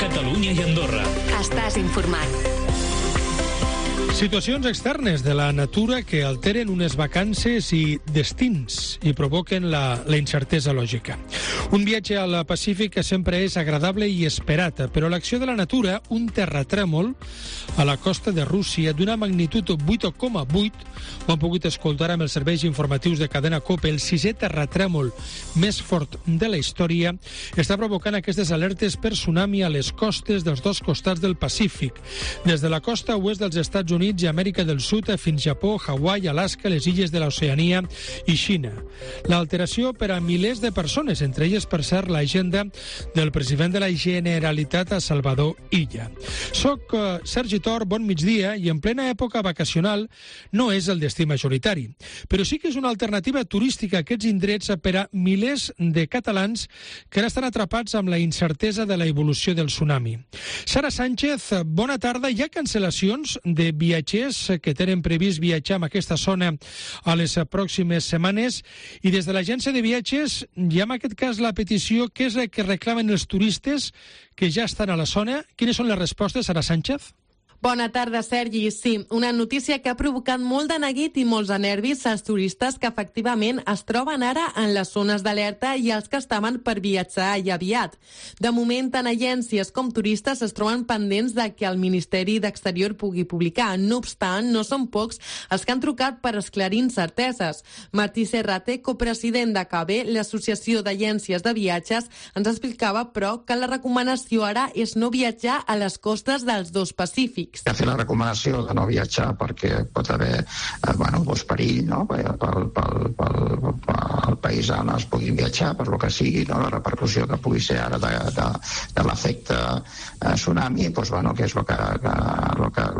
Catalunya i Andorra. Estàs informat. Situacions externes de la natura que alteren unes vacances i destins i provoquen la incertesa lògica. Un viatge al Pacífic sempre és agradable i esperat, però l'acció de la natura, un terratrèmol a la costa de Rússia d'una magnitud 8,8, ho han pogut escoltar amb els serveis informatius de Cadena COPE, el 6è terratrèmol més fort de la història, està provocant aquestes alertes per tsunami a les costes dels dos costats del Pacífic, des de la costa oest dels Estats Units i Amèrica del Sud fins Japó, Hawaii, Alaska, les illes de l'Oceania i Xina. L'alteració per a milers de persones, entre elles, per cert, l'agenda del president de la Generalitat, Salvador Illa. Soc Sergi Tor, bon migdia, i en plena època vacacional no és el destí majoritari, però sí que és una alternativa turística a aquests indrets per a milers de catalans que ara estan atrapats amb la incertesa de la evolució del tsunami. Sara Sánchez, bona tarda. Hi ha cancel·lacions de viatgers que tenen previst viatjar en aquesta zona a les pròximes setmanes, i des de l'agència de viatges hi ha en aquest cas la petició, què és el que reclamen els turistes que ja estan a la zona? Quines són les respostes, Sara Sánchez? Bona tarda, Sergi. Sí, una notícia que ha provocat molt de neguit i molts de nervis als turistes que efectivament es troben ara en les zones d'alerta i els que estaven per viatjar i aviat. De moment, tant agències com turistes es troben pendents de que el Ministeri d'Exterior pugui publicar. No obstant, no són pocs els que han trucat per esclarir incerteses. Martí Serrate, copresident de CABE, l'Associació d'Agències de Viatges, ens explicava, però, que la recomanació ara és no viatjar a les costes dels dos Pacífics. Ha fet la recomanació de no viatjar perquè pot haver perill, no? Pel país on es puguin viatjar, per lo que sigui, no? La repercussió que pugui ser ara de l'efecte tsunami, que és el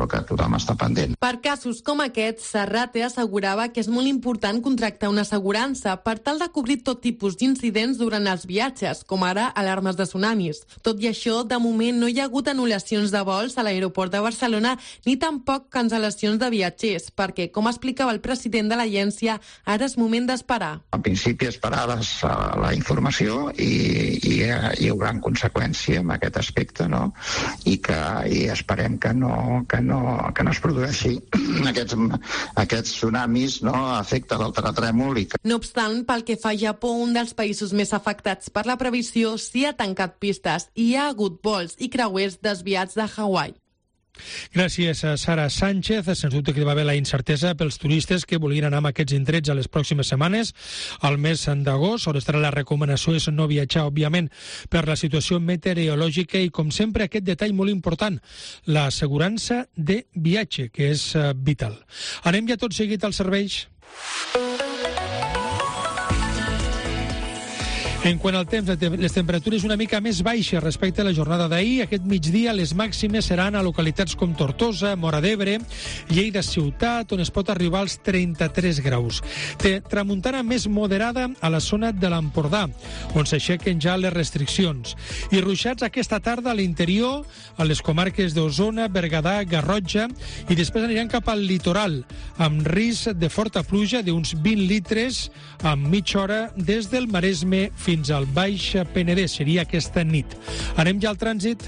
que tothom està pendent. Per casos com aquests, Serrate assegurava que és molt important contractar una assegurança per tal de cobrir tot tipus d'incidents durant els viatges, com ara alarmes de tsunamis. Tot i això, de moment no hi ha hagut anul·lacions de vols a l'aeroport de Barcelona ni tampoc cancel·lacions de viatgers, perquè, com explicava el president de l'agència, ara és moment d'esperar. En principi, esperar la informació i hi haurà conseqüència en aquest aspecte, no? I esperem que no es produeixi aquests tsunamis, no? A efecte del terratrèmol. No obstant, pel que fa a Japó, un dels països més afectats per la previsió, s'hi ha tancat pistes i hi ha hagut vols i creuers desviats de Hawaii. Gràcies a Sara Sánchez. Sens dubte que hi va haver la incertesa pels turistes que volien anar a aquests indrets a les pròximes setmanes. Al mes d'agost, on estarà la recomanació és no viatjar, òbviament, per la situació meteorològica i, com sempre, aquest detall molt important, l'assegurança de viatge, que és vital. Anem ja tot seguit als serveis. En quant al temps, les temperatures una mica més baixes respecte a la jornada d'ahir. Aquest migdia les màximes seran a localitats com Tortosa, Móra d'Ebre, Lleida ciutat, on es pot arribar als 33 graus. Tramuntana més moderada a la zona de l'Empordà, on s'aixequen ja les restriccions. I ruixats aquesta tarda a l'interior, a les comarques d'Osona, Berguedà, Garrotxa, i després aniran cap al litoral, amb risc de forta pluja d'uns 20 litres en mitja hora des del Maresme fins al Baix Penedès. Seria aquesta nit. Anem ja al trànsit.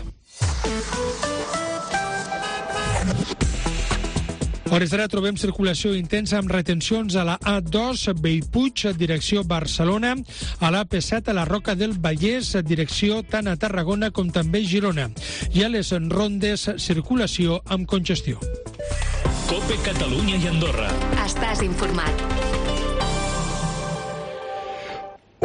A hores d'ara trobem circulació intensa amb retencions a la A2, Bellpuig, direcció Barcelona, a la AP7, a la Roca del Vallès, direcció tant a Tarragona com també Girona. I a les rondes, circulació amb congestió. COPE Catalunya i Andorra. Estàs informat.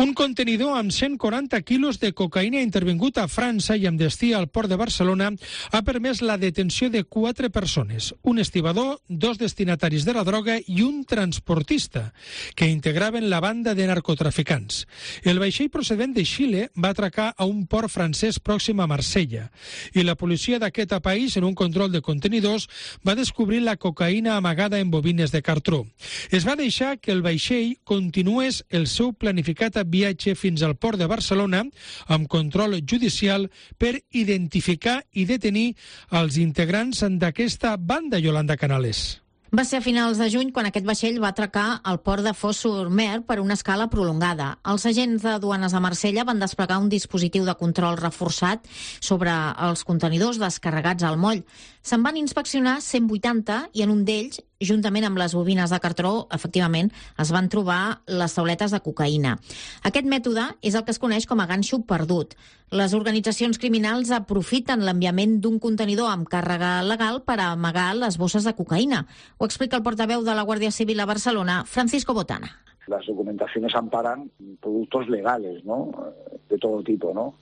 Un contenidor amb 140 quilos de cocaïna intervingut a França i amb destí al port de Barcelona ha permès la detenció de 4 persones, un estibador, 2 destinataris de la droga i un transportista, que integraven la banda de narcotraficants. El vaixell procedent de Xile va atracar a un port francès pròxim a Marsella i la policia d'aquest país, en un control de contenidors, va descobrir la cocaïna amagada en bobines de cartró. Es va deixar que el vaixell continués el seu planificat viatge fins al port de Barcelona amb control judicial per identificar i detenir els integrants d'aquesta banda, Yolanda Canales. Va ser a finals de juny quan aquest vaixell va atracar al port de Fos-sur-Mer per una escala prolongada. Els agents de duanes de Marsella van desplegar un dispositiu de control reforçat sobre els contenidors descarregats al moll. Se'n van inspeccionar 180 i en un d'ells, juntament amb les bobines de cartró, efectivament, es van trobar les tauletes de cocaïna. Aquest mètode és el que es coneix com a ganxo perdut. Les organitzacions criminals aprofiten l'enviament d'un contenidor amb càrrega legal per amagar les bosses de cocaïna. Ho explica el portaveu de la Guàrdia Civil a Barcelona, Francisco Botana. Las documentaciones amparan productos legales, ¿no? De todo tipo, ¿no?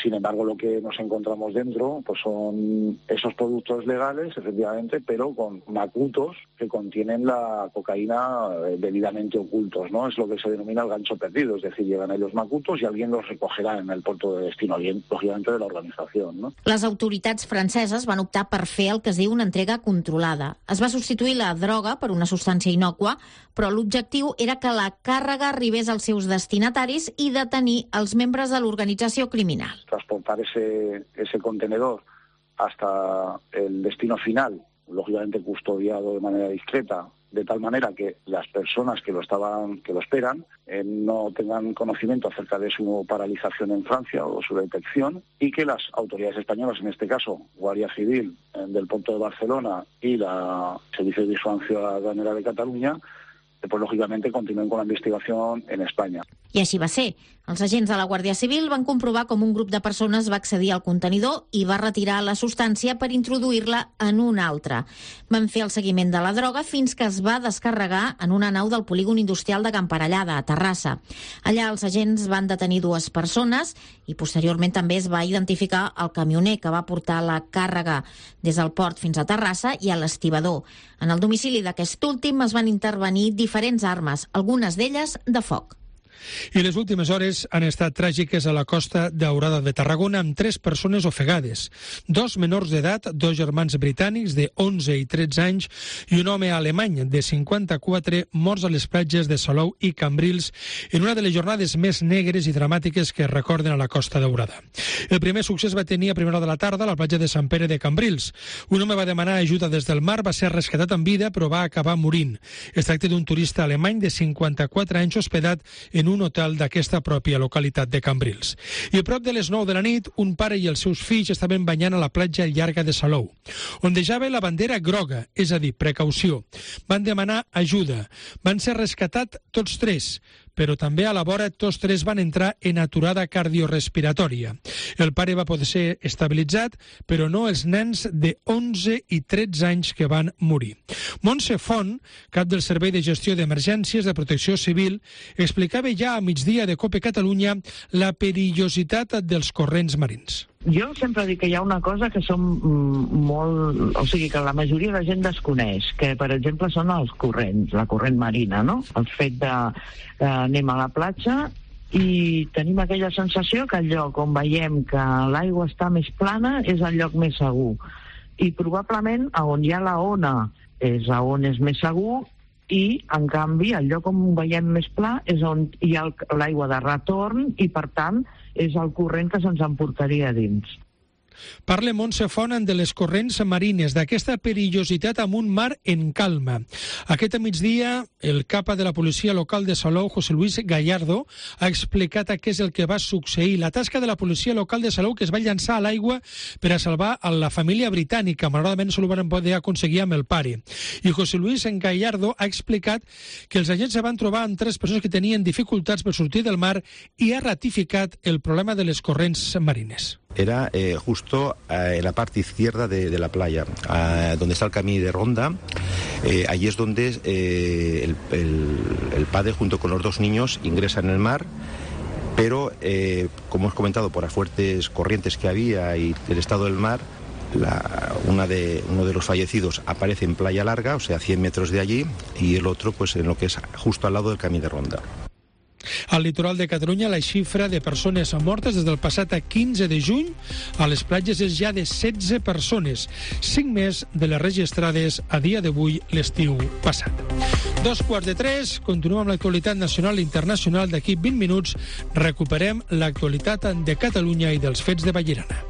Sin embargo, lo que nos encontramos dentro pues son esos productos legales, efectivamente, pero con macutos que contienen la cocaína debidamente ocultos, ¿no? Es lo que se denomina el gancho perdido, es decir, llegan ahí los macutos y alguien los recogerá en el puerto de destino, lógicamente de la organización, ¿no? Les autoritats franceses van optar per fer el que es diu una entrega controlada. Es va substituir la droga per una substància innòcua, però l'objectiu era que la càrrega arribés als seus destinataris i detenir els membres de l'organització criminal. Transportar ese contenedor hasta el destino final, lógicamente custodiado de manera discreta, de tal manera que las personas que lo esperan no tengan conocimiento acerca de su paralización en Francia o su detección, y que las autoridades españolas, en este caso Guàrdia Civil del puerto de Barcelona y la Servicio de Vigilancia Aduanera de Cataluña, pues lógicamente continúen con la investigación en España. I així va ser. Els agents de la Guàrdia Civil van comprovar com un grup de persones va accedir al contenidor i va retirar la substància per introduir-la en un altre. Van fer el seguiment de la droga fins que es va descarregar en una nau del polígon industrial de Camparellada, a Terrassa. Allà els agents van detenir 2 persones i posteriorment també es va identificar el camioner que va portar la càrrega des del port fins a Terrassa i a l'estibador. En el domicili d'aquest últim es van intervenir diferents armes, algunes d'elles de foc. I les últimes hores han estat tràgiques a la Costa Daurada de Tarragona amb 3 persones ofegades. 2 menors d'edat, 2 germans britànics de 11 i 13 anys i un home alemany de 54 morts a les platges de Salou i Cambrils en una de les jornades més negres i dramàtiques que es recorden a la Costa Daurada. El primer succés va tenir a primera hora de la tarda a la platja de Sant Pere de Cambrils. Un home va demanar ajuda des del mar, va ser rescatat en vida però va acabar morint. Es tracta d'un turista alemany de 54 anys hospedat en un hotel d'aquesta pròpia localitat de Cambrils. I a prop de les 9 de la nit, un pare i els seus fills estaven banyant a la platja llarga de Salou. Ondejava la bandera groga, és a dir, precaució. Van demanar ajuda. Van ser rescatats tots 3, però també a la vora tots 3 van entrar en aturada cardiorespiratòria. El pare va poder ser estabilitzat, però no els nens de 11 i 13 anys que van morir. Montse Font, cap del Servei de Gestió d'Emergències de Protecció Civil, explicava ja a migdia de COPE Catalunya la perillositat dels corrents marins. Jo sempre dic que hi ha una cosa que som molt... O sigui, que la majoria de gent desconeix, que, per exemple, són els corrents, la corrent marina, no? El fet de anem a la platja i tenim aquella sensació que el lloc on veiem que l'aigua està més plana és el lloc més segur. I probablement on hi ha la ona és on és més segur i, en canvi, el lloc on veiem més pla és on hi ha l'aigua de retorn i, per tant, és el corrent que se'ns emportaria dins. Parla Montse Font de les corrents marines, d'aquesta perillositat amb un mar en calma. Aquest migdia, el capa de la policia local de Salou, José Luis Gallardo, ha explicat què és el que va succeir. La tasca de la policia local de Salou, que es va llançar a l'aigua per a salvar a la família britànica. Malauradament, no ho van poder aconseguir amb el pare. I José Luis Gallardo ha explicat que els agents se van trobar amb 3 persones que tenien dificultats per sortir del mar i ha ratificat el problema de les corrents marines. Era justo en la parte izquierda de la playa, donde está el camino de Ronda. Allí es donde el padre junto con los 2 niños ingresan en el mar, pero como hemos comentado, por las fuertes corrientes que había y el estado del mar, uno de los fallecidos aparece en Playa Larga, o sea, 100 metros de allí, y el otro pues en lo que es justo al lado del camí de Ronda. Al litoral de Catalunya, la xifra de persones mortes des del passat 15 de juny a les platges és ja de 16 persones, 5 més de les registrades a dia d'avui l'estiu passat. 2:45, continuem amb l'actualitat nacional i internacional. D'aquí 20 minuts recuperem l'actualitat de Catalunya i dels fets de Vallirana.